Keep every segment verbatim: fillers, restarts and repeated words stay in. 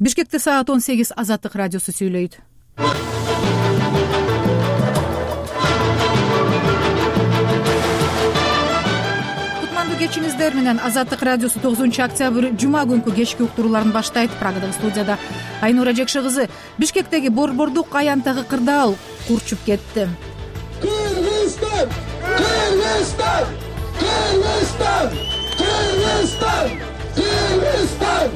Бишкекте саат он сегиз Азаттык радиосу сүйлөйт. Кутмандуу кечиңиздер менен Азаттык радиосу тогузунчу октябрь жума күнкү кечки уктурууларын баштайт. Прагадагы студияда Айнура Жекши кызы. Бишкектеги борбордук аянттагы кырдаал курчуп кетти. Кыргызстан! Кыргызстан! Кыргызстан! Кыргызстан! Кыргызстан!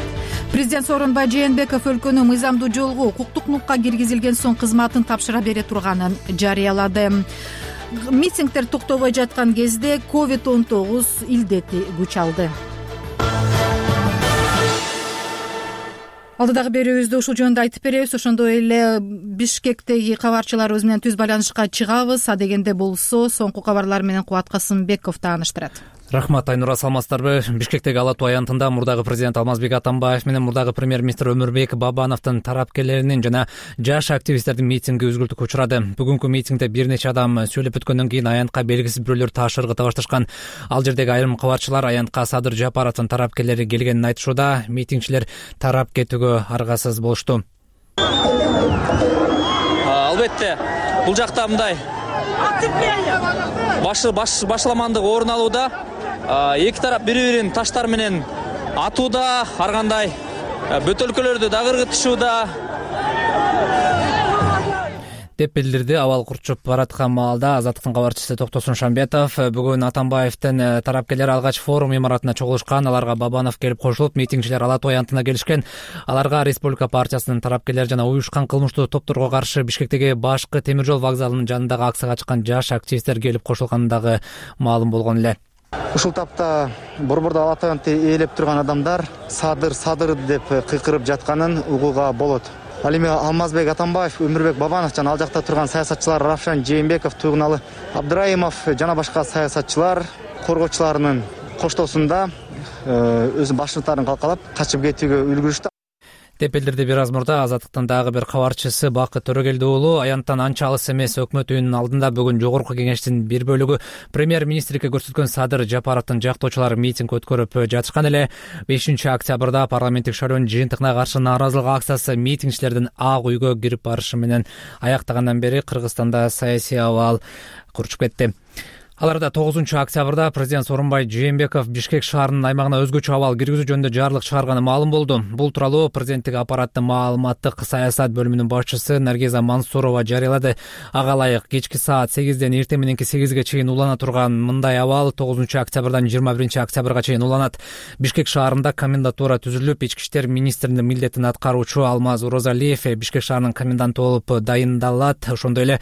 Президент Сооронбай Жээнбеков өлкөнү мыйзамдуу жолго укуктук нукка киргизилген соң кызматын тапшыра бере турганын жарыялады. Митингдер токтобой жаткан кезде ковид он тогуз илдети күч алды. Алдыдагы берүүбүздө ушул жөнүндө айтып беребиз. Ошондой эле Бишкектеги кабарчыларыбыз менен түз байланышка чыгабыз. Адегенде болсо соңку кабарлар менен Кубат Касымбеков тааныштырат. Рахмат, Айнура, саламатсыздарбы? Бишкектеги Ала Тоо аянтында мурдагы президент Алмазбек Атамбаев менен мурдагы премьер-министр Өмүрбек Бабановдун тарапкерлеринин жана жаш активисттердин митинги үзгүлтүккө учурады. Бүгүнкү митингде бир нече адам сүйлөп өткөндөн кийин аянтка белгисиз бирөөлөр таш ыргыта башташкан. Ал жердеги айрым кабарчылар аянтка Садыр Жапаровдун тарапкерлери келгенин айтышууда. Митингчилер тарап кетүүгө аргасыз болушту. Албетте, бул жакта мындай башламандык орун алууда. Эки тарап бири-бирин таштар менен атууда, ар кандай бөтөлкөлөрдү дагы ыргытышууда деп билдирди абал курчуп бараткан маалда Азаттыктын кабарчысы Токтосун Шамбетов. Бүгүн Атамбаевдин тарапкерлери алгач форум имаратына чогулушкан. Аларга Бабанов келип кошулуп, митингчилер Ала Тоо аянтына келишкен. Аларга Республика партиясынын тарапкерлери жана уюшкан кылмыштуу топторго каршы Бишкектеги башкы темир жол вокзалынын жанындагы акцияга чыккан жаш активисттер келип кошулгандыгы маалым болгон эле. Ушул тапта борбордо Ала Тоо аянтты ээлеп турган адамдар Садыр Садыр деп кыйкырып жатканын угууга болот. Ал эми Алмазбек Атамбаев, Өмүрбек Бабанов жана ал жакта турган саясатчылар Равшан Жээнбеков, Тугуналы Абдраимов жана башка саясатчылар коргоочуларынын коштоосунда өз башчылыктарын калкалап качып кетүүгө үлгүрүштү деп билдирди бир аз мурда Азаттыктын дагы бир кабарчысы Бакыт Төрөгелди уулу. Аянттан анча алыс эмес өкмөт үйүнүн алдында бүгүн жогорку кеңештин бир бөлүгү премьер-министрге көрсөткөн Садыр Жапаровдун жактоочулары митинг өткөрүп жатышкан эле. бешинчи октябрда парламенттик шайлоонун жыйынтыгына каршы нааразылык акциясы митингчилердин Ак үйгө кирип барышы менен аяктагандан бери Кыргызстанда саясий абал курчуп кетти. Аларда тогузунчу октябрда президент Сооронбай Жээнбеков Бишкек шаарынын аймагына өзгөчө абал киргизүү жөнүндө жарлык чыгарганы маалым болду. Бул тууралуу президенттик аппараттын маалыматтык саясат бөлүмүнүн башчысы Наргиза Мансурова жарыялады. Ага ылайык кечки саат сегизден эртең мененки сегизге чейин улана турган мындай абал тогузунчу октябрдан жыйырма биринчи октябрга чейин уланат. Бишкек шаарында комендатура түзүлүп, ички иштер министринин милдетин аткаруучу Алмаз Розалиев Бишкек шаарынын коменданты болуп дайындалат. Ошондой эле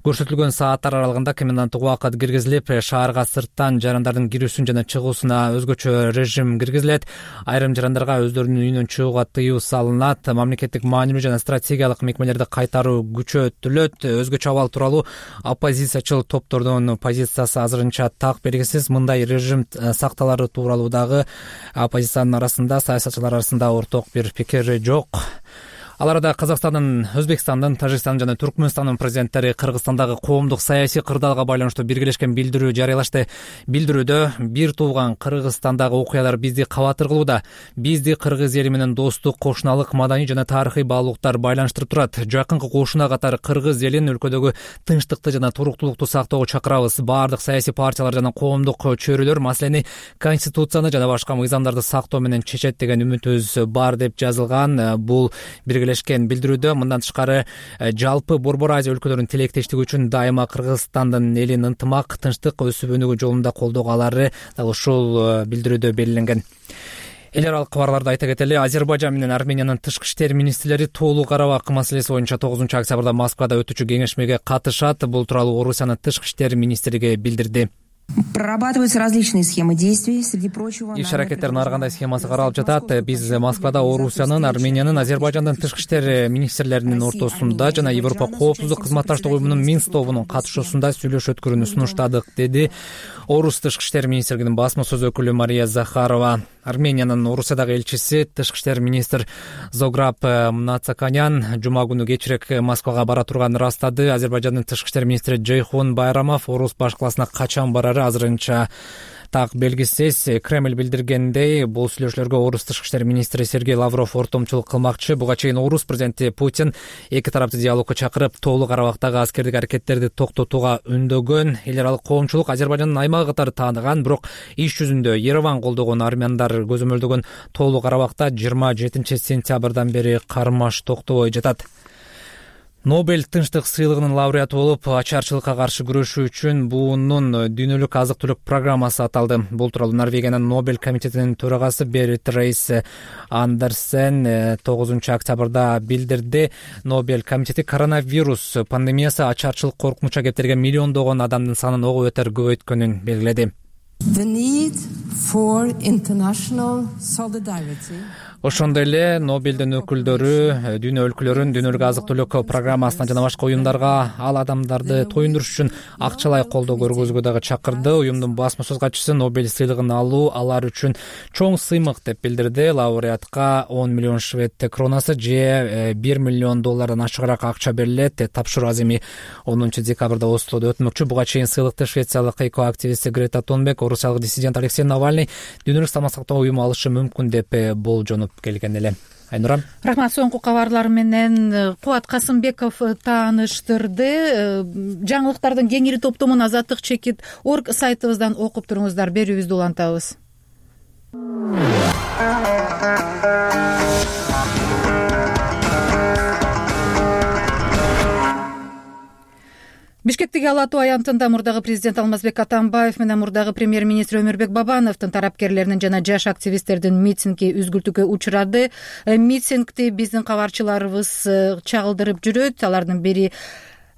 көрсөтүлгөн сааттар аралыгында коменданттык убакыт киргизилет. Шаарга сырттан жарандардын кирүүсүн жана чыгуусуна өзгөчө режим киргизилет. Айрым жарандарга өздөрүнүн үйүнөн чыгууга тыюу салынат. Мамлекеттик маанилүү жана стратегиялык мекмелерди кайтаруу күчөтүлөт. Өзгөчө абал тууралуу оппозициячыл топтордун позициясы азырынча так белгисиз. Мындай режим сакталары тууралуу дагы оппозициянын арасында, саясатчылар арасында орток бир пикир жок. Ал арада Казакстандын, Өзбекстандын, Тажикстандын жана Түркмөнстандын президенттери Кыргызстандагы коомдук саясий кырдаалга байланыштуу биргелешкен билдирүү жарыялашты. Билдирүүдө бир тууган Кыргызстандагы окуялар бизди кабат ыргылууда. Бизди кыргыз эли менен достук, кошуналык, маданий жана тарыхый баалуулуктар байланыштырып турат. Жакынкы кошуна катары кыргыз элин өлкөдөгү тынчтыкты жана туруктуулукту сактоого чакырабыз. Баардык саясий партиялар жана коомдук чөйрөлөр маселени конституцияны жана башка мыйзамдарды сактоо менен чечет деген үмүтүбүз бар деп жазылган. Бул биргелешкен билдирүүдө мындан тышкары жалпы Борбор Азия өлкөлөрүнүн тилектештиги үчүн дайыма Кыргызстандын элин ынтымак, тынчтык, өсүп өнүгүү жолунда колдогалары дагы ушул билдирүүдө белгиленген. Эл аралык кабарларды айта кетели. Азербайжан менен Армениянын тышкы иштер министрлери Тоолуу Карабак маселеси боюнча тогузунчу октябрда Москвада өтүүчү кеңешмеге катышат. Бул тууралуу Орусиянын тышкы иштер министрлиги билдирди. Прорабатываются различные схемы действий, среди прочего. Иш аракеттердин ар кандай схемасы каралып жатат. Биз Москвада Орусиянын, Армениянын, Азербайжандын тышкы иштер министрлеринин ортосунда жана Европа коопсуздук кызматташтык уюмунун Минск тобунун катышуусунда сүйлөшүү өткөрүүнү сунуштадык, деди Орус тышкы иштер министрлигинин басма сөз өкүлү Мария Захарова. Армениянын Орусиядагы элчиси тышкы иштер министр Зограб Мнацаканян жума күнү кечирээк Москвага бара турганын ырастады. Азербайжандын тышкы иштер министри Жейхун Байрамов Орус башкаласына качан барары азырынча Так белгисиз. Кремль билдиргендей, бул сүйлөшүүлөргө орус тышкы иштер министри Сергей Лавров ортомчулук кылмакчы. Буга чейин орус президенти Путин эки тарапты диалогко чакырып, тоолуу Карабактагы аскердик аракеттерди токтотууга үндөгөн. Эл аралык коомчулук Азербайжандын аймагы катары тааныган, бирок иш жүзүндө Ереван колдогон армяндар көзөмөлдөгөн тоолуу Карабакта жыйырма жетинчи сентябрдан бери кармаш токтобой жатат. Нобель тынчтык сыйлыгынын лауреаты болуп, ачарчылыкка каршы күрөшүү үчүн буунун дүйнөлүк азык-түлүк программасы аталды. Бул тууралуу Норвегиянын Нобель комитетинин төрагасы Берит Рейс Андерсен тогузунчу октябрда билдирди. Нобель комитети коронавирус пандемиясы ачарчылык коркунуча кептирген миллиондогон адамдын санын ого бетер көбөйткөнүн белгиледи. The need for international solidarity. Ошондой эле Нобелдин өкүлдөрү дүйнө өлкөлөрүн дүйнөлүк азык-түлүк программасына жана башка уюмдарга ал адамдарды тоюндуруш үчүн акчалай колдоо көргөзүүгө дагы чакырды. Уюмдун басма сөз катчысы Нобель сыйлыгын алуу алар үчүн чоң сыймык деп билдирди. Лауреатка он миллион швед кронасы же бир миллион доллардан ашыгыраак акча берилет. Тапшыруу аземи онунчу декабрда Ослодо өтмөкчү. Буга чейин сыйлыкты швециялык экоактивисти Грета Тунберг, орусиялык диссидент Алексей Навальный дүйнөлүк саламаттык сактоо уюму алышы мүмкүн деп болжонуп келген эле. Айнура. Рахмат. Соңку кабарлар менен Кубат Касымбеков тааныштырды. Жаңылыктардын кеңири топтомун азаттык чекит точка орг сайтыбыздан окуп туруңуздар. Берүүбүздү улантабыз. Бишкектеги Ала Тоо аянтында мурдагы президент Алмазбек Атамбаев менен мурдагы премьер-министр Өмүрбек Бабановдун тарапкерлеринин жана жаш активисттердин митинги үзгүлтүүгө учурады. Митингди биздин кабарчыларыбыз чагылдырып жүрөт. Алардын бири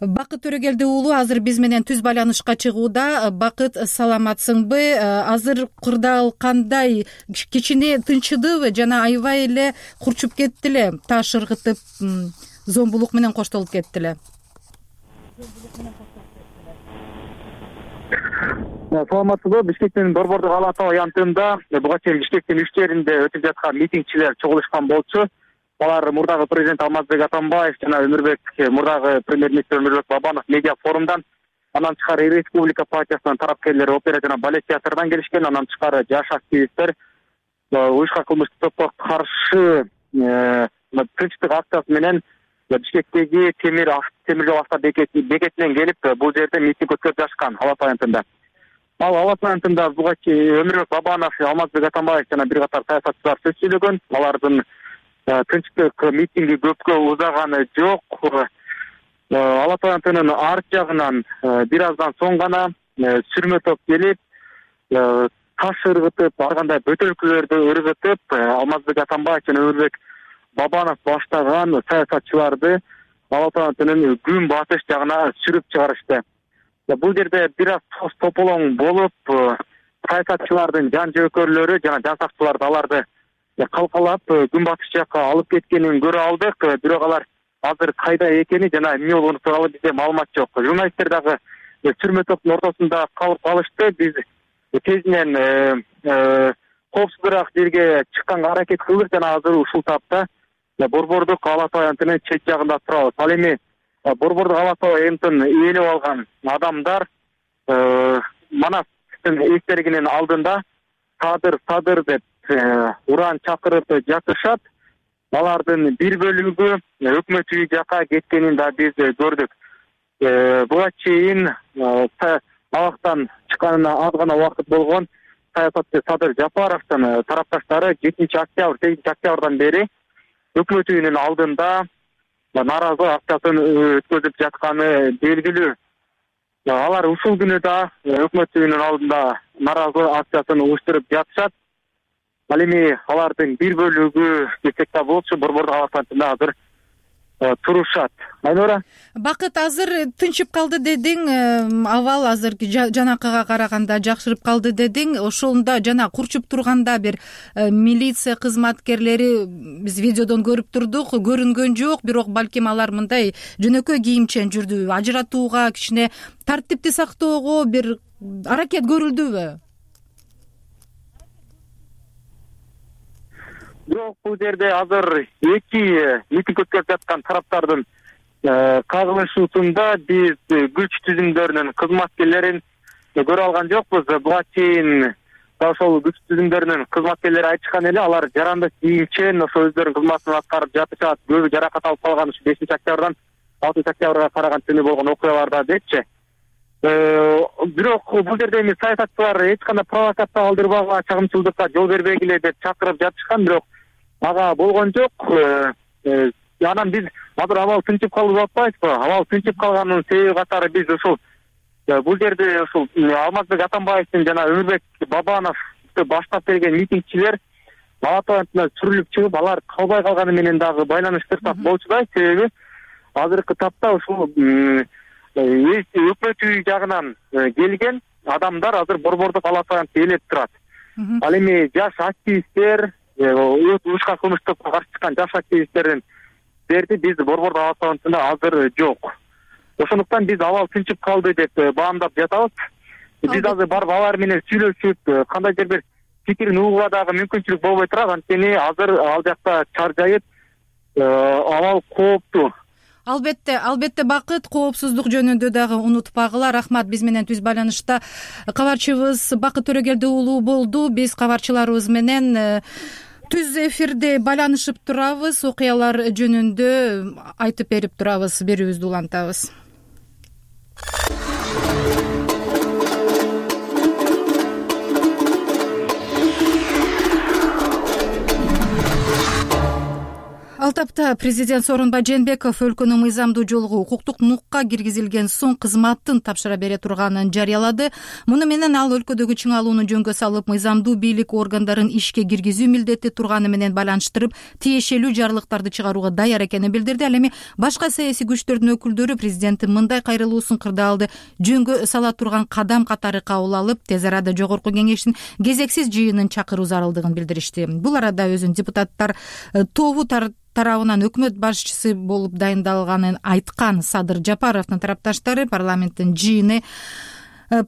Бакыт Төрөгелди уулу азыр биз менен түз байланышка чыгууда. Бакыт, саламатсыңбы? Азыр кырдаал кандай? Кичине тынчыдыбы жана аябай эле курчуп кетти эле, таш ыргытып, зомбулук менен коштолуп кетти эле. Саламатсызбы? Бишкектин борбордук Ала Тоо аянтында буга чейин Бишкектин үч жеринде өтүп жаткан митингчилер чогулушкан болчу. Алар мурдагы президент Алмазбек Атамбаев жана Өмүрбек мурдагы премьер-министр Өмүрбек Бабанов медиа форумдан, анан тышкары Республика партиясынын тарапкерлери опера жана балет театрынан келишкен, анан тышкары жаш активисттер уюшкан кылмыштык топко каршы тынчтык акциясы менен Бишкектеги темир темир жол авто бекетинен келип, бул жерде митинг өткөрүп жатышкан Ала Тоо аянтында. Ал Ала Тоо аянтында буга чейин Өмүрбек Бабанов, Алмазбек Атамбаев жана бир катар саясатчылар сөз сүйлөгөн. Алардын тынчтык митинги көпкө узаганы жок. Ала Тоо аянтынын арт жагынан бир аздан соң гана сүрмө топ келип, таш ыргытып, ар кандай бөтөлкөлөрдү ыргытып, Алмазбек Атамбаев жана Өмүрбек Бабанов баштаган саясатчыларды Ала Тоо аянтынын күн батыш жагына сүрүп чыгарышты. Бул жерде бир аз тоз тополоң болуп, саясатчылардын жан жөөкөрлөрү жана жан сакчыларды аларды калкалап күн батыш жакка алып кеткенин көрө алдык. Бирок алар азыр кайда экени жана эмне болгону тууралуу бизде маалымат жок. Журналисттер дагы сүрмө топтун ортосунда калып калышты. Биз тезинен коопсуздураак жерге чыкканга аракет кылдык жана азыр ушул тапта борбордук Ала Тоо аянтынын чет жагында турабыз. Ал эми борбордук Ала Тоо аянтын ээлеп алган адамдар Манастын эстергинин алдында садыр садыр деп уран чакырып жатышат. Алардын бир бөлүгү өкмөт үйү жака кеткенин да биз көрдүк. Буга чейин абактан чыкканына аз гана убакыт болгон саясатчы Садыр Жапаровдун тарапташтары жетинчи октябрь сегизинчи октябрдан бери өкмөт үйүнүн алдында нааразылык акциясын өткөзүп жатканы белгилүү. Алар ушул күнү да өкмөт үйүнүн алдында нааразылык акциясын уюштуруп жатышат. Ал эми алардын бир бөлүгү десек да болчу борбордук Ала Тоо аянтында азыр турушат. Айнура. Бакыт, азыр тынчып калды дедиң, абал азыр жанакыга караганда жакшырып калды дедиң. Ошондо жана курчуп турганда бир милиция кызматкерлери биз видеодон көрүп турдук, көрүнгөн жок, бирок балким алар мындай жөнөкөй кийимчен жүрдү. Ажыратууга, кичине тартипти сактоого бир аракет көрүлдүбү? Бирок бул жерде азыр эки митинг өткөрүп жаткан тараптардын кагылышуусунда биз күч түзүмдөрүнүн кызматкерлерин көрө алган жокпуз. Буга чейин ошол күч түзүмдөрүнүн кызматкерлери айтышкан эле, алар жарандык кийимчен ошо өздөрүнүн кызматын аткарып жатышат. Көбү жаракат алып калган ушу бешинчи октябрдан алтынчы октябрга караган түнү болгон окуяларда депчи. Бирок бул жерде эми саясатчылар эч кандай провокация калтырбагыла, чагымчылдыкка жол бербегиле деп чакырып жатышкан, бирок ага болгон жок. Анан биз азыр абал тынчып калды деп атпайбызбы? Абал тынчып калганынын себеби катары биз ушул бул жерде ушул Алмазбек Атамбаевдин жана Өмүрбек Бабановду баштап берген митингчилер Ала Тоо антына сүрүлүп чыгып, алар калбай калганы менен дагы байланыштырсак болчу да. Себеби азыркы тапта ушул өкмөт үйү жагынан келген адамдар азыр борбордук Ала Тоо антты ээлеп турат. Ал эми жаш активисттер, урушка кылмыштыкка каршы чыккан жаш активисттердин берди биз борбордук Ала Тоо антында азыр жок. Ошондуктан биз абал тынчып калды деп баамдап жатабыз. Биз азыр барып алар менен сүйлөшүп, кандайдыр бир пикирин угууга дагы мүмкүнчүлүк болбой турат. Анткени азыр ал жакта чаржайып, абал кооптуу. Албетте, албетте Бакыт, коопсуздук жөнүндө дагы унутпагыла. Рахмат, биз менен түз байланышта кабарчыбыз Бакыт Төрөгелди уулу болду. Биз кабарчыларыбыз менен түз эфирде байланышып турабыз, окуялар жөнүндө айтып берип турабыз, берүүбүздү улантабыз. Ал тапта президент Сооронбай Жээнбеков өлкөнүн мыйзамдуу жолго укуктук нукка киргизилген соң кызматын тапшыра бере турганын жарыялады. Муну менен ал өлкөдөгү чыңалууну жөнгө салып, мыйзамдуу бийлик органдарын ишке киргизүү милдети турганы менен байланыштырып, тиешелүү жарлыктарды чыгарууга даяр экенин билдирди. Ал эми башка саясий күчтөрдүн өкүлдөрү президенттин мындай кайрылуусун кырдаалды жөнгө сала турган кадам катары кабыл алып, тез арада жогорку кеңештин кезексиз жыйынын чакыруу зарылдыгын билдиришти. Бул арада өзүнүн депутаттар тобу тарабынан өкмөт башчысы болуп дайындалганын айткан Садыр Жапаровдун тарапташтары парламенттин жыйыны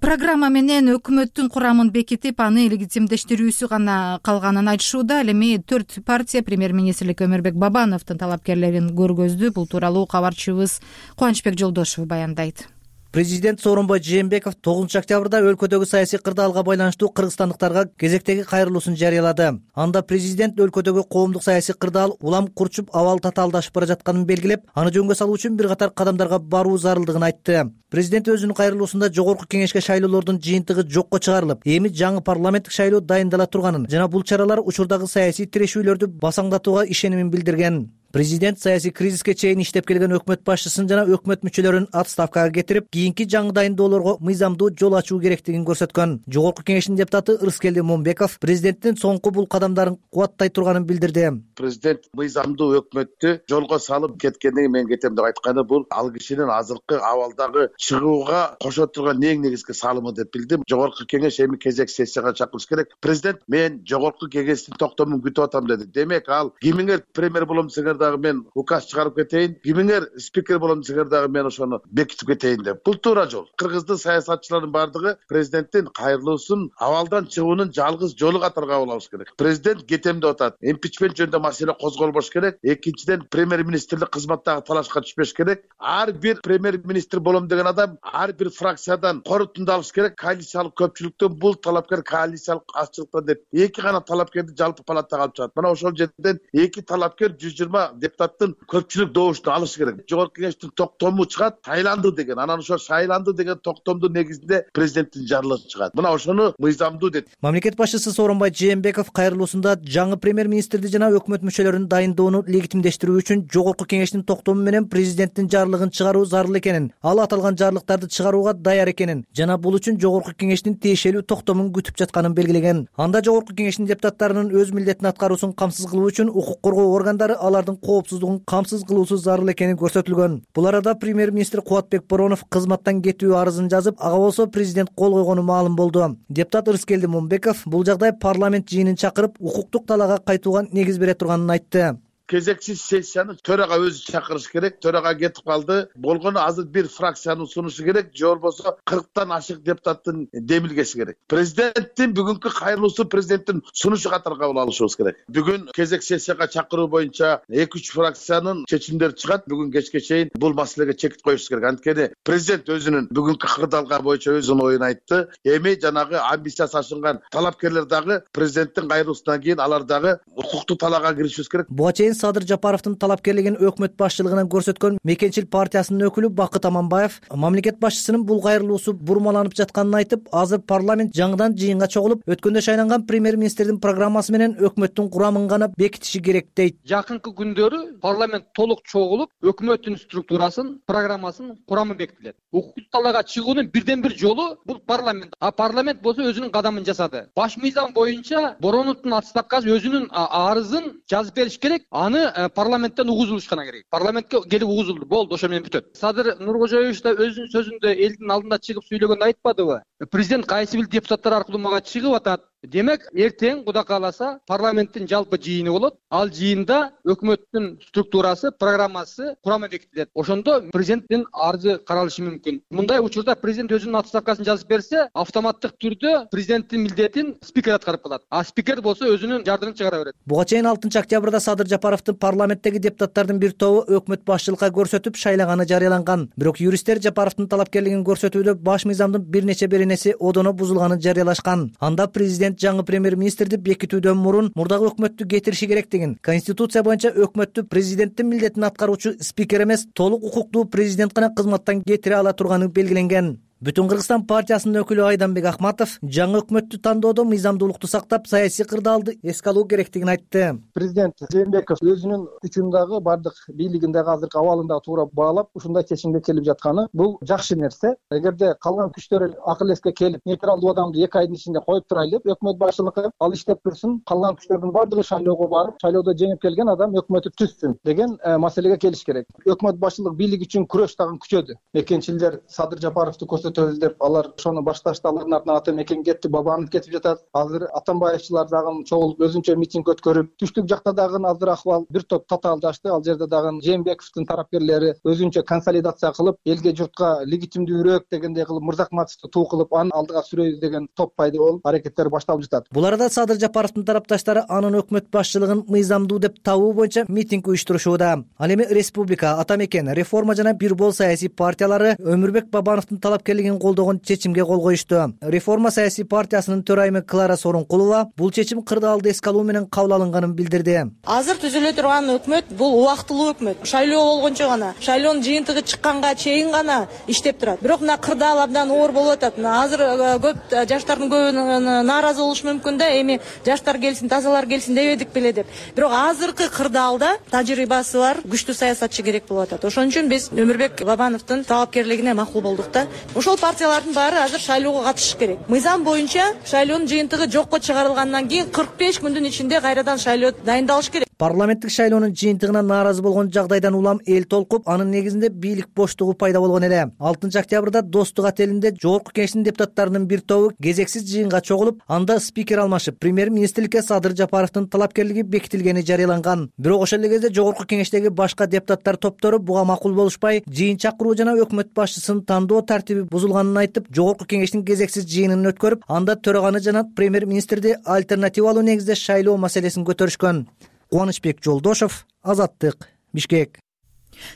программа менен өкмөттүн курамын бекитип, аны легитимдештирүүсү гана калганын айтышууда. Ал эми төрт партия премьер-министрлик Өмүрбек Бабановдун талапкерлерин көргөздү. Бул тууралуу кабарчыбыз Кубанычбек Жолдошев баяндайт. Президент Сооронбай Жээнбеков тогузунчу октябрда өлкөдөгү саясий кырдаалга байланыштуу кыргызстандыктарга кезектеги кайрылуусун жарыялады. Анда президент өлкөдөгү коомдук саясий кырдаал улам курчуп, абал татаалдашып бара жатканын белгилеп, аны жөнгө салуу үчүн бир катар кадамдарга баруу зарылдыгын айтты. Президент өзүнүн кайрылуусунда жогорку кеңешке шайлоолордун жыйынтыгы жокко чыгарылып, эми жаңы парламенттик шайлоо дайындала турганын жана бул чаралар учурдагы саясий тирешүүлөрдү басаңдатууга ишенимин билдирген. Президент саясий кризиске чейин иштеп келген өкмөт башчысын жана өкмөт мүчөлөрүн отставкага кетирип, кийинки жаңы дайындоолорго мыйзамдуу жол ачуу керектигин көрсөткөн. Жогорку кеңештин депутаты Ырыскелди Момбеков президенттин соңку бул кадамдарын кубаттай турганын билдирди. Президент мыйзамдуу өкмөттү жолго салып кеткенден кийин мен кетем деп айтканы бул ал кишинин азыркы абалдагы чыгууга кошо турган эң негизги салымы деп билдим. Жогорку кеңеш эми кезек сессияга чакырыш керек. Президент мен жогорку кеңештин токтомун күтүп атам деди. Демек ал кимиңер премьер болом десеңер дагы мен указ чыгарып кетейин, кимиңер спикер болом десеңер дагы мен ошону бекитип кетейин деп. Бул туура жол. Кыргыздын саясатчылардын бардыгы президенттин кайрылуусун абалдан чыгуунун жалгыз жолу катары кабыл алыш керек. Президент кетем деп атат. Импичмент жөнүндө маселе козголбош керек. Экинчиден премьер-министрлик кызматтагы талашка түшпөш керек. Ар бир премьер-министр болом деген адам ар бир фракциядан корутунду алыш керек. Коалициялык көпчүлүктөн бул талапкер коалициялык азчылыктан деп эки гана талапкерди жалпы палатага алып чыгат. Мына ошол жерден эки талапкер жүз жыйырма депутаттын көпчүлүк добушун алыш керек. Жогорку кеңештин токтому чыгат, шайланды деген. Анан ошо шайланды деген токтомдун негизинде президенттин жарлыгы чыгат. Мына ошону мыйзамдуу дейт. Мамлекет башчысы Сооронбай Жээнбеков кайрылуусунда жаңы премьер-министрди жана өкмөт мүчөлөрүн дайындоону легитимдештирүү үчүн жогорку кеңештин токтому менен президенттин жарлыгын чыгаруу зарыл экенин, ал аталган жарлыктарды чыгарууга даяр экенин жана бул үчүн жогорку кеңештин тиешелүү токтомун күтүп жатканын белгилеген. Анда жогорку кеңештин депутаттарынын өз милдетин аткаруусун камсыз кылуу үчүн укук коргоо органдары алардын коопсуздугун камсыз кылуусу зарыл экени көрсөтүлгөн. Бул арада премьер-министр Кубатбек Боронов кызматтан кетүү арызын жазып, ага болсо президент кол койгону маалым болду. Депутат Ырыскелди Момбеков бул жагдай парламент жыйынын чакырып, укуктук талаага кайтууга негиз бере турганын айтты. кезексиз сессияны төрага өзү чакырыш керек. Төрага кетип калды. Болгону азыр бир фракцияны сунушу керек, же болбосо кырктан ашык депутаттын демилгеси керек. Президенттин бүгүнкү кайрылуусу президенттин сунушу катары кабыл алышыбыз керек. Бүгүн кезек сессияга чакыруу боюнча эки үч фракциянын чечимдери чыгат. Бүгүн кечке чейин бул маселеге чекит коюш керек. Анткени президент өзүнүн бүгүнкү кырдаалга боюнча өзүнүн оюн айтты. Эми жанагы амбициясы ашынган талапкерлер дагы президенттин кайрылуусунан кийин алар дагы укуктуу талаага киришибиз керек. Буга чейин Садыр Жапаровдун талапкерлигин өкмөт башчылыгынан көрсөткөн Мекенчил партиясынын өкүлү Бакыт Аманбаев мамлекет башчысынын бул кайрылуусу бурмаланып жатканын айтып, азыр парламент жаңыдан жыйынга чогулуп, өткөндө шайланган премьер-министрдин программасы менен өкмөттүн курамын гана бекитиши керек дейт. Жакынкы күндөрү парламент толук чогулуп, өкмөттүн структурасын, программасын, курамы бекитилет. Укуктуу талаага чыгуунун бирден бир жолу бул парламент. А парламент болсо өзүнүн кадамын жасады. Баш мыйзам боюнча Бороновдун отставкасы өзүнүн арызын жазып бериш керек. Аны парламенттен угузулушкана керек. Парламентке келип угузулду. Болду, ошо менен бүтөт. Садыр Нуркожоевич да өзүнүн сөзүндө элдин алдында чыгып сүйлөгөндө айтпадыбы? Президент кайсы бир депутаттар аркылуу мага чыгып атат. Демек, эртең Кудай кааласа парламенттин жалпы жыйыны болот. Ал жыйында өкмөттүн структурасы, программасы, курамы бекитилет. Ошондо президенттин арызы каралышы мүмкүн. Мындай учурда президент өзүнүн отставкасын жазып берсе, автоматтык түрдө президенттин милдетин спикер аткарып калат. А спикер болсо өзүнүн жардымын чыгара берет. Буга чейин алтынчы октябрда Садыр Жапаровдун парламенттеги депутаттардын бир тобу өкмөт башчылыкка көрсөтүп шайлаганы жарыяланган. Бирок юристтер Жапаровдун талапкерлигин көрсөтүүдө баш мыйзамдын бир нече беренеси одоно бузулганын жарыялашкан. Анда президент жаңы премьер-министрди бекитүүдөн мурун мурдагы өкмөттү кетириши керектигин, конституция боюнча өкмөттү президенттин милдетин аткаруучу спикер эмес, толук укуктуу президент гана кызматтан кетире ала турганы белгиленген. Бүтүн Кыргызстан партиясынын өкүлү Айданбек Ахматов жаңы өкмөттү тандоодо мыйзамдуулукту сактап, саясий кырдаалды эске алуу керектигин айтты. Президент Жээнбеков өзүнүн күчүндагы бардык бийлигиндеги азыркы абалында туура баалап, ушундай чечимге келип жатканы бул жакшы нерсе. Эгерде калган күчтөр акыл эске келип, нейтралдуу адамды эки айдын ичинде коюп турайлы, өкмөт башчылыгы ал иштеп турсун, калган күчтөрдүн бардыгы шайлоого барып, шайлоодо жеңип келген адам өкмөтү түзсүн деген маселеге келиш керек. Өкмөт башчылык бийлик үчүн күрөш дагы күчөдү. Мекенчилдер Садыр Жапаровду деп алар ошону башташты. Алардын артынан ата мекен кетти, Бабанов кетип жатат. Азыр Атамбаевчылар дагы чогулуп өзүнчө митинг өткөрүп, түштүк жакта дагы азыр акыбал бир топ татаалдашты. Ал жерде дагы Жээнбековдун тарапкерлери өзүнчө консолидация кылып, элге журтка легитимдүүрөөк дегендей кылып, Мырзакматовду туу кылып, аны алдыга сүрөйбүз деген топ пайда болуп, аракеттер башталып жатат. Бул арада Садыр Жапаровдун тарапташтары анын өкмөт башчылыгын мыйзамдуу деп табуу боюнча митинг уюштурушууда. Ал эми Республика, Ата мекен, Реформа жана Бир бол саясий партиялары Өмүрбек Бабановдун талапкерлигин чечимге кол коюшту. Реформа саясий партиясынын төрайымы Клара Сорункулова бул чечим кырдаалды эске алуу менен кабыл алынганын билдирди. Азыр түзүлө турган өкмөт бул убактылуу өкмөт. Шайлоо болгончо гана, шайлоонун жыйынтыгы чыкканга чейин гана иштеп турат. Бирок мына кырдаал абдан оор болуп атат. Азыр көп жаштардын көбү нааразы болушу мүмкүн да, эми жаштар келсин, тазалар келсин дебедик беле деп. Бирок азыркы кырдаалда тажрыйбасы бар күчтүү саясатчы керек болуп атат. Ошон үчүн биз Өмүрбек Бабановдун талапкерлигине макул болдук да. Ошол партиялардын баары азыр шайлоого катышыш керек. Мыйзам боюнча шайлоонун жыйынтыгы жокко чыгарылгандан кийин кырк беш күндүн ичинде кайрадан шайлоо дайындалыш керек. Парламенттик шайлоонун жыйынтыгына нааразы болгон жагдайдан улам эл толкуп, анын негизинде бийлик боштугу пайда болгон эле. алтынчы октябрда Достук отелинде Жогорку Кеңештин депутаттарынын бир тобу кезексиз жыйынга чогулуп, анда спикер алмашып, премьер-министрликке Садыр Жапаровдун талапкерлиги бекитилгени жарыяланган. Бирок ошол эле кезде Жогорку Кеңештеги башка депутаттар топтору буга макул болушпай, жыйын чакыруу жана өкмөт башчысын тандоо тартиби бузулганын айтып, Жогорку Кеңештин кезексиз жыйынын өткөрүп, анда төраганы жана премьер-министрди альтернативалуу негизде шайлоо маселесин көтөрүшкөн. Кубанычбек Жолдошов, Азаттык, Бишкек.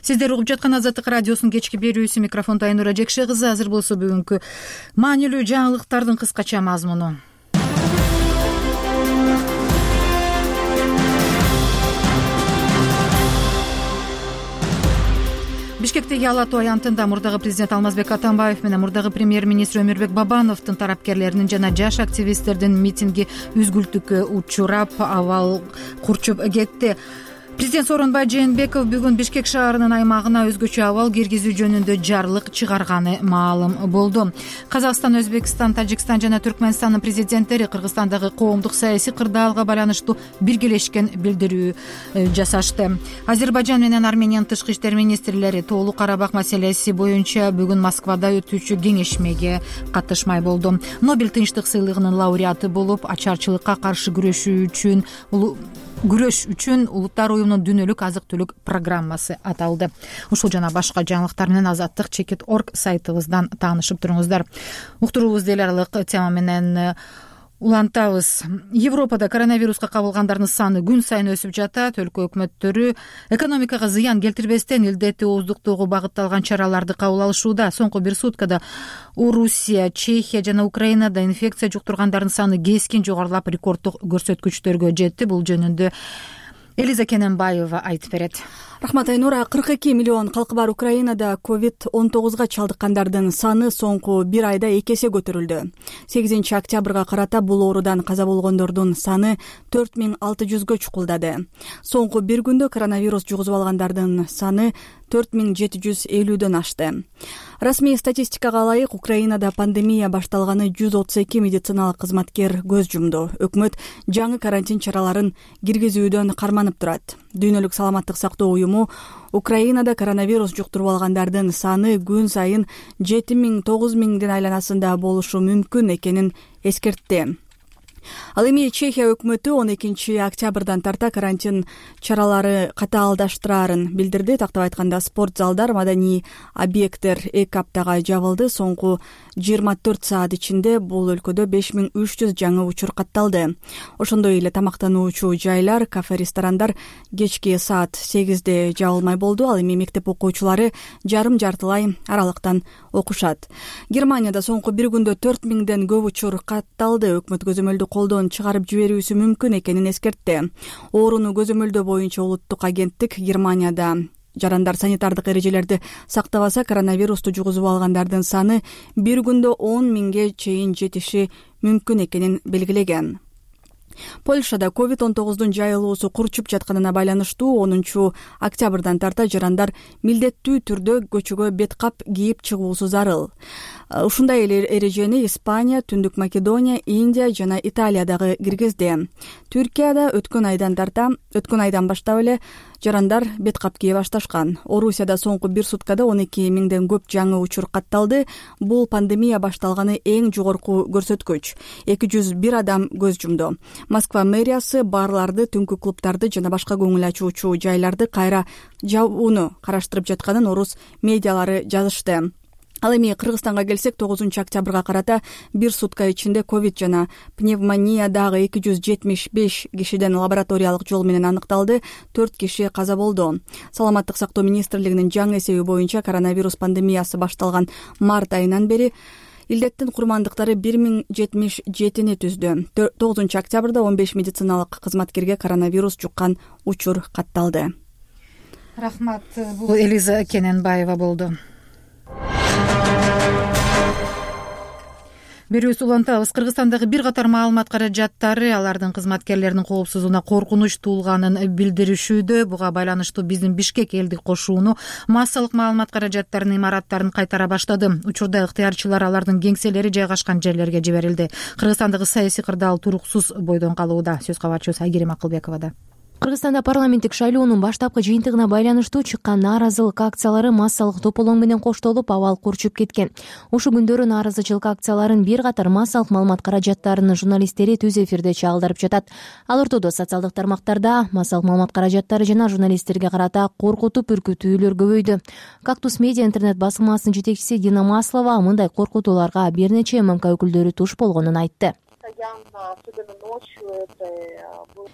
Сиздер угуп жаткан Азаттык радиосунун кечки берүүсү, микрофондо Айнура Жекше кызы. Азыр болсо бүгүнкү маанилүү жаңылыктардын кыскача мазмуну. Бишкектеги Ала Тоо аянтында мурдагы президент Алмазбек Атамбаев менен мурдагы премьер-министр Өмүрбек Бабановдун тарапкерлеринин жана жаш активисттердин митинги үзгүлтүккө учурап, абал курчуп кетти. Президент Сооронбай Жээнбеков бүгүн Бишкек шаарынын аймагына өзгөчө абал киргизүү жөнүндө жарлык чыгарганы маалым болду. Казакстан, Өзбекстан, Тажикстан жана Түркмөнстандын президенттери Кыргызстандагы коомдук саясий кырдаалга байланыштуу биргелешкен билдирүү жасашты. Азербайжан менен Армениянын тышкы иштер министрлери Тоолуу Карабак маселеси боюнча бүгүн Москвада өтүүчү кеңешмеге катышмай болду. Нобель тынчтык сыйлыгынын лауреаты болуп, ачарчылыкка каршы күрөшүү үчүн күрөш үчүн улуттар уюмунун дүйнөлүк азык түлүк программасы аталды. Ушул жана башка жаңылыктар менен азаттык чекит орг сайтыбыздан таанышып туруңуздар. Уктуруубуз эл аралык тема менен улантабыз. Европада коронавируска кабылгандардын саны күн сайын өсүп жатат. Өлкө өкмөттөрү экономикага зыян келтирбестен илдетти ооздуктоого багытталган чараларды кабыл алышууда. Соңку бир суткада Орусия, Чехия жана Украинада инфекция жуктургандардын саны кескин жогорулап, рекорддук көрсөткүчтөргө жетти. Бул жөнүндө Элиза Кененбаева айтып берет. Рахмат Айнура. кырк эки миллион калкы бар Украинада ковид он тогузга чалдыккандардын саны соңку бир айда эки эсе көтөрүлдү. сегизинчи октябрга карата бул оорудан каза болгондордун саны төрт миң алты жүзгө чукулдады. Соңку бир күндө коронавирус жугузуп алгандардын саны төрт миң жети жүз элүүдөн ашты. Расмий статистикага ылайык, Украинада пандемия башталганы жүз отуз эки медициналык кызматкер көз жумду. Өкмөт жаңы карантин чараларын киргизүүдөн карманып турат. Дүйнөлүк саламаттык сактоо уюму Украинада коронавирус жуктуруп алгандардын саны күн сайын жети миң тогуз миңдин айланасында болушу мүмкүн экенин эскертти. Ал эми Чехия өкмөтү он экинчи октябрдан тарта карантин чаралары катаалдаштырарын билдирди. Тактап айтканда, спорт залдар, маданий объекттер эки аптага жабылды. Соңку жыйырма төрт саат ичинде бул өлкөдө беш миң үч жүз жаңы учур катталды. Ошондой эле тамактануучу жайлар, кафе, ресторандар кечки саат сегизде жабылмай болду. Ал эми мектеп окуучулары жарым жартылай аралыктан окушат. Германияда соңку бир күндө төрт миңден көп учур катталды. Өкмөт көзөмөлдү колдон чыгарып жиберүүсү мүмкүн экенин эскертти. Ооруну көзөмөлдөө боюнча улуттук агенттик Германияда жарандар санитардык эрежелерди сактабаса, коронавирусту жугузуп алгандардын саны бир күндө он миңге чейин жетиши мүмкүн экенин белгилеген. Польшада ковид он тогуздун жайылуусу курчуп жатканына байланыштуу онунчу октябрдан тарта жарандар милдеттүү түрдө көчөгө бет кап кийип чыгуусу зарыл. Ушундай эле эрежени Испания, Түндүк Македония, Индия жана Италия дагы киргизди. Түркияда өткөн айдан тарта, өткөн айдан баштап эле жарандар бет кап кие башташкан. Орусияда соңку бир суткада он эки миңден көп жаңы учур катталды. Бул пандемия башталганы эң жогорку көрсөткүч. эки жүз бир адам көз жумду. Москва мэриясы барларды, түнкү клубдарды жана башка көңүл ачуучу жайларды кайра жабууну караштырып жатканын орус медиалары жазышты. Ал эми Кыргызстанга келсек, тогузунчу октябрга карата бир сутка ичинде ковид жана пневмония дагы эки жүз жетимиш беш кишиден лабораториялык жол менен аныкталды. төрт киши каза болду. Саламаттык сактоо министрлигинин жаңы эсеби боюнча коронавирус пандемиясы башталган март айынан бери илдеттин курмандыктары бир миң жетимиш жетини түздү. тогузунчу октябрда он беш медициналык кызматкерге коронавирус жуккан учур катталды. Рахмат. Бул Элиза Кененбаева болду. Берүүбүз улантабыз. Кыргызстандагы бир катар маалымат каражаттары алардын кызматкерлеринин коопсуздугуна коркунуч туулганын билдиришүүдө. Буга байланыштуу биздин Бишкек элдик кошууну массалык маалымат каражаттарынын имараттарын кайтара баштады. Учурда ыктыярчылар алардын кеңселери жайгашкан жерлерге жиберилди. Кыргызстандагы саясий кырдаал туруксуз бойдон калууда. Сөз кабарчыбыз Айгерим Акылбековада. Кыргызстанда парламенттик шайлоонун баштапкы жыйынтыгына байланыштуу чыккан нааразылык акциялары массалык тополоң менен коштолуп, абал курчуп кеткен. Ушул күндөрү нааразычылык акцияларын бир катар массалык маалымат каражаттарынын журналисттери түз эфирде чагылдырып жатат. Ал ортодо социалдык тармактарда массалык маалымат каражаттары жана журналисттерге карата коркутуп үркүтүүлөр көбөйдү. Кактус медиа интернет басылмасынын жетекчиси Дина Маслова мындай коркутууларга бир нече эм эм ка өкүлдөрү туш болгонун айтты.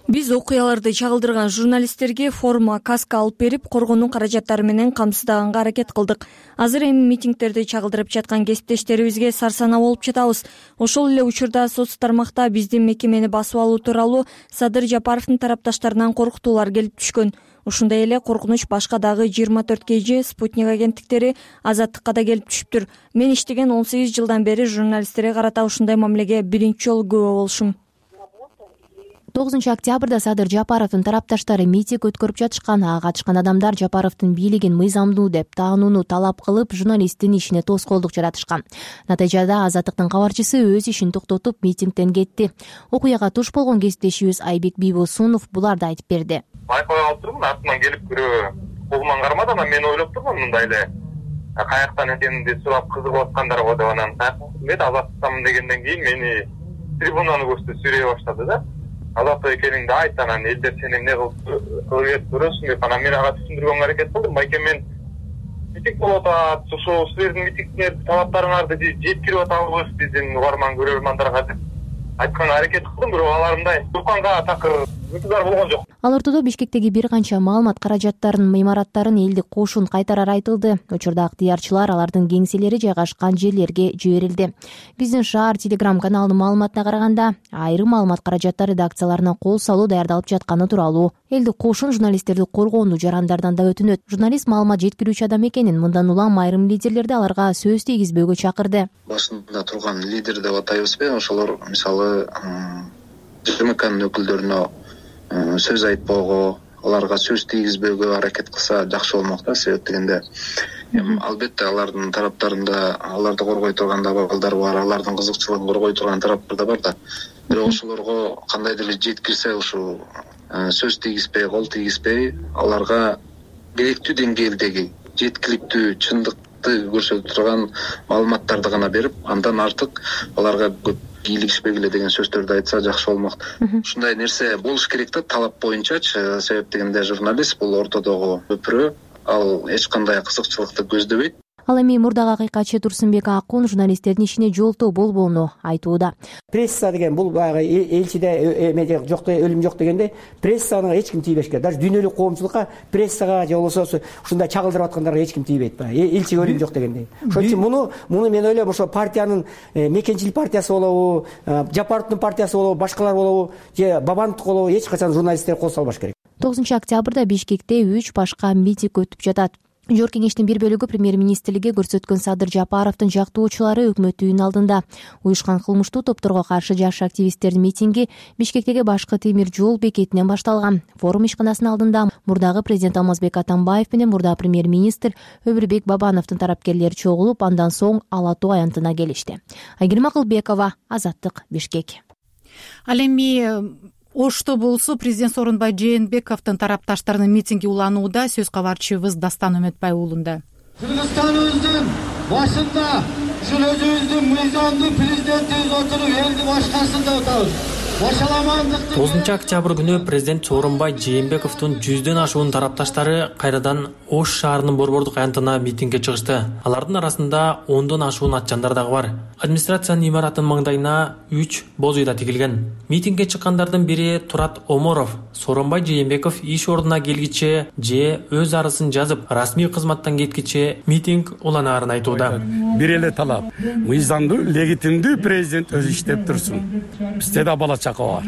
Биз окуяларды чагылдырган журналисттерге форма, каска алып берип, коргонуу каражаттары менен камсыздаганга аракет кылдык. Азыр эми митингдерди чагылдырып жаткан кесиптештерибизге сарсанаа болуп жатабыз. Ошол эле учурда соц тармакта биздин мекемени басып алуу тууралуу Садыр Жапаровдун тарапташтарынан коркутуулар келип түшкөн. Ушундай эле коркунуч башка дагы жыйырма төрт кей же Спутник агенттиктери, Азаттыкка да келип түшүптүр. Мен иштеген он сегиз жылдан бери журналисттерге карата ушундай мамилеге биринчи жолу күбө болушум. тогузунчу октябрда Садыр Жапаровдун тарапташтары митинг өткөрүп жатышкан. Ага катышкан адамдар Жапаровдун бийлигин мыйзамдуу деп таанууну талап кылып, журналисттин ишине тоскоолдук жаратышкан. Натыйжада Азаттыктын кабарчысы өз ишин токтотуп, митингден кетти. Окуяга туш болгон кесиптешибиз Айбек Бийбосунов буларды айтып берди. Байкай алып турмун, артынан келип бирөө колуман кармады, анан мен ойлоп турмун мындай эле каяктан экенин сурап кызыгып аткандар го деп, анан каяктан азаттыкмын дегенден кийин мени трибунаны көрсөтүп сүйлөй баштады да. азаттык экениңди айт, анан элдер сени эмне кылып көрөсүң деп анан мен ага түшүндүргөнгө аракет кылдым. Байке, мен митинг болуп атат, ошо силердин митингдер талаптарыңарды жеткирип атабыз биздин угарман көрөрмандарга деп айтканга аракет кылдым, бирок алар мындай Турканга такыр ынтызар болгон жок. Ал ортодо Бишкектеги бир канча маалымат каражаттарын, имараттарын элдик кошун кайтарар айтылды. Учурда ыктыярчылар алардын кеңселери жайгашкан жерлерге жиберилди. Биздин шаар Телеграм каналынын маалыматына караганда, айрым маалымат каражаттары редакцияларына кол салуу даярдалып жатканы тууралуу элдик кошун журналисттерди коргоону жарандардан да өтүнөт. Журналист маалымат жеткирүүчү адам экенин, мындан улам айрым лидерлерди аларга сөз тийгизбөөгө чакырды. Башында турган лидер деп атайбызбы, ошолор мисалы ЖМКнын өкүлдөрүнө сөз айтпоого, аларга сөз тийгизбөөгө аракет кылса жакшы болмок да. Себеп дегенде албетте алардын тараптарында аларды коргой турган да балдар бар, алардын кызыкчылыгын коргой турган тараптар да бар да. Бирок ошолорго кандайдыр эле жеткирсе, ушул сөз тийгизбей, кол тийгизбей, аларга керектүү деңгээлдеги жеткиликтүү чындыкты көрсөтө турган маалыматтарды гана берип, андан артык аларга көп кийлигишпегиле деген сөздөрдү айтса жакшы болмок. Ушундай нерсе болуш керек да, талап боюнчачы. Себеп дегенде журналист бул ортодогу көпүрө, ал эч кандай кызыкчылыкты көздөбөйт. Ал эми мурдагы акыйкатчы Турсунбек Акун журналисттердин ишине жолтоо болбоону айтууда. Пресса деген бул баягы элчиде эме жок, өлүм жок дегенде прессаны эч ким тийбеш керек. Даже дүйнөлүк коомчулукка прессага же болбосо ушундай чагылдырып аткандарга эч ким тийбейт. Элчиге өлүм жок дегенде. Ошон үчүн муну муну мен ойлойм, ошо партиянын Мекенчил партиясы болобу, Жапаровдун партиясы болобу, башкалар болобу же Бабановдук болобу, эч качан журналисттер кол салбаш керек. тогузунчу октябрда Бишкекте үч башка митинг өтүп жатат. Жогорку кеңештин бир бөлүгү премьер-министрликке көрсөткөн Садыр Жапаровдун жактоочулары өкмөт үйүнүн алдында. Уюшкан кылмыштуу топторго каршы жаш активисттердин митинги Бишкектеги башкы темир жол бекетинен башталган. Форум ишканасынын алдында мурдагы президент Алмазбек Атамбаев менен мурда премьер-министр Өмүрбек Бабановдун тарапкерлери чогулуп, андан соң Ала Тоо аянтына келишти. Айгерим Акылбекова, Азаттык, Бишкек. Ал эми Ошто болсо президент Сооронбай Жээнбековдун тарапташтарынын митинги уланууда. Сөз кабарчыбыз Дастан Өмөтбай уулунда. Кыргызстаныбыздын башында ушул өзүбүздүн мыйзамдуу президентибиз отуруп элди башкарсын деп атабыз. тогузунчу октябрь күнү президент Сооронбай Жээнбековдун жүздөн ашуун тарапташтары кайрадан Ош шаарынын борбордук аянтына митингге чыгышты. Алардын арасында ондон ашуун атчандар дагы бар. Администрациянын имаратынын маңдайына үч боз үйда тигилген. Митингге чыккандардын бири Турат Оморов. Сооронбай Жээнбеков иш ордуна келгиче же өз арызын жазып, расмий кызматтан кеткиче митинг уланаарын айтууда. Бир эле талап: мыйзамдуу, легитимдүү президент өзү иштеп турсун. Бизде да бала чака бар.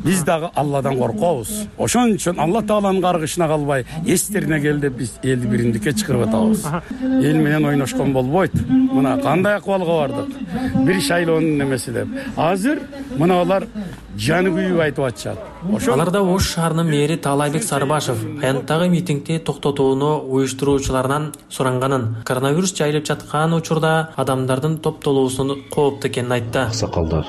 Биз дагы Алладан коркобуз. Ошон үчүн Алла Тааланын каргышына калбай, эстерине кел деп биз элди бириндикке чакырып атабыз. Эл менен ойношкон болбойт. Мына кандай акыбалга бардык. Бир шайлоонун немеси деп. Азыр мына алар жаны күйүп айтып атышат. Аларда Ош шаарынын мэри Таалайбек Сарыбашев аянттагы митингди токтотууну уюштуруучуларынан суранганын, коронавирус жайылып жаткан учурда адамдардын топтолуусунун кооптуу экенин айтты. Аксакалдар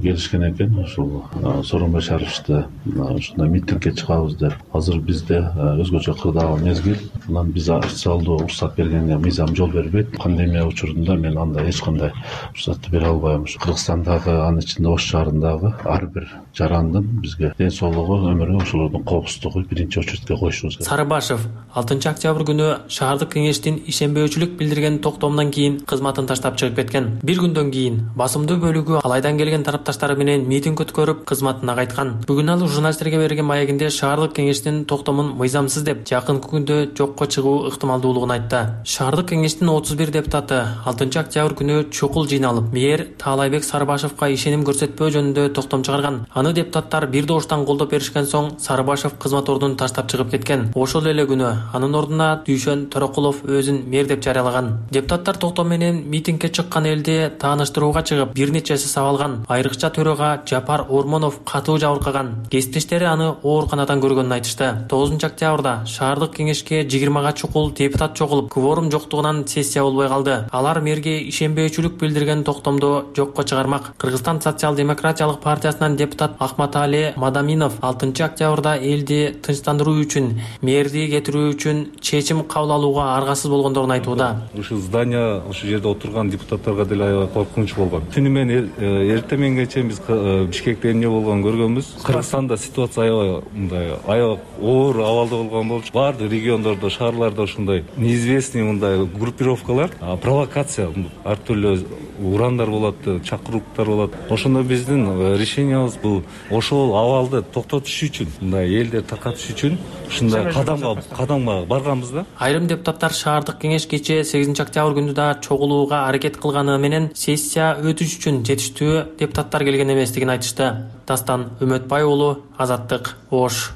келишкен экен, ушул Сооронбай Шариповичти ушундай митингге чыгабыз деп. Азыр бизде өзгөчө кырдаал мезгил. Анан биз официалдуу уруксат бергенге мыйзам жол бербейт. Пандемия учурунда мен анда эч кандай уруксатты бере албайм. Кыргызстандагы, анын ичинде Ош шаарындагы ар бир жарандын бизге ден соолугу, өмүрү, ошолордун коопсуздугу биринчи очередке коюшубуз керек. Сарыбашев алтынчы октябрь күнү шаардык кеңештин ишенбөөчүлүк билдирген токтомунан кийин кызматын таштап чыгып кеткен. Бир күндөн кийин басымдуу бөлүгү алайдан келген тарапташтары менен митинг өткөрүп, кызматына кайткан. Бүгүн ал журналисттерге берген маегинде шаардык кеңештин токтомун мыйзамсыз деп, жакынкы күндө жокко чыгуу ыктымалдуулугун айтты. Шаардык кеңештин отуз бир депутаты алтынчы октябрь күнү чукул жыйналып, мэр Таалайбек Сарыбашевка ишеним көрсөтпөө жөнүндө токтом чыгарган. Аны депутаттар бир добуштан колдоп беришкен соң Сарыбашев кызмат ордун таштап чыгып кеткен. Ошол эле күнү анын ордуна Дүйшөн Төрөкулов өзүн мэр деп жарыялаган. Депутаттар токтом менен митингге чыккан элди тааныштырууга чыгып, бир нечеси сабалган. Айрыкча төрөгө Жапар Ормонов катуу жабыркаган. Кесиптештери аны ооруканадан көргөнүн айтышты. тогузунчу октябрда шаардык кеңешке жыйырмага чукул депутат чогулуп, кворум жоктугунан сессия болбой калды. Алар мэрге ишенбөөчүлүк билдирген токтомду жокко чыгармак. Кыргызстан социал-демократиялык партиясынан депутат Ахмат Али эле Мадаминов алтынчы октябрда элди тынчтандыруу үчүн, мэрди кетирүү үчүн чечим кабыл алууга аргасыз болгондорун айтууда. Ушу здание, ушу жерде отурган депутаттарга деле аябай коркунуч болгон. Түнү менен эртең мененге чейин биз Бишкекте эмне болгонун көргөнбүз. Кыргызстанда ситуация аябай мындай аябай оор абалда болгон болчу. Бардык региондордо, шаарларда ушундай неизвестный мындай группировкалар, провокация, ар түрдүү урандар болот, чакырууктар болот. Ошондо биздин решениябыз бул ошол абалды токтотуш үчүн, мындай элдер таркатыш үчүн ушундай кадамга кадамга барганбыз да. Айрым депутаттар шаардык кеңеш кечээ сегизинчи октябрь күнү да чогулууга аракет кылганы менен сессия өтүш үчүн жетиштүү депутаттар келген эместигин айтышты. Дастан Үмөтбай уулу, Азаттык, Ош.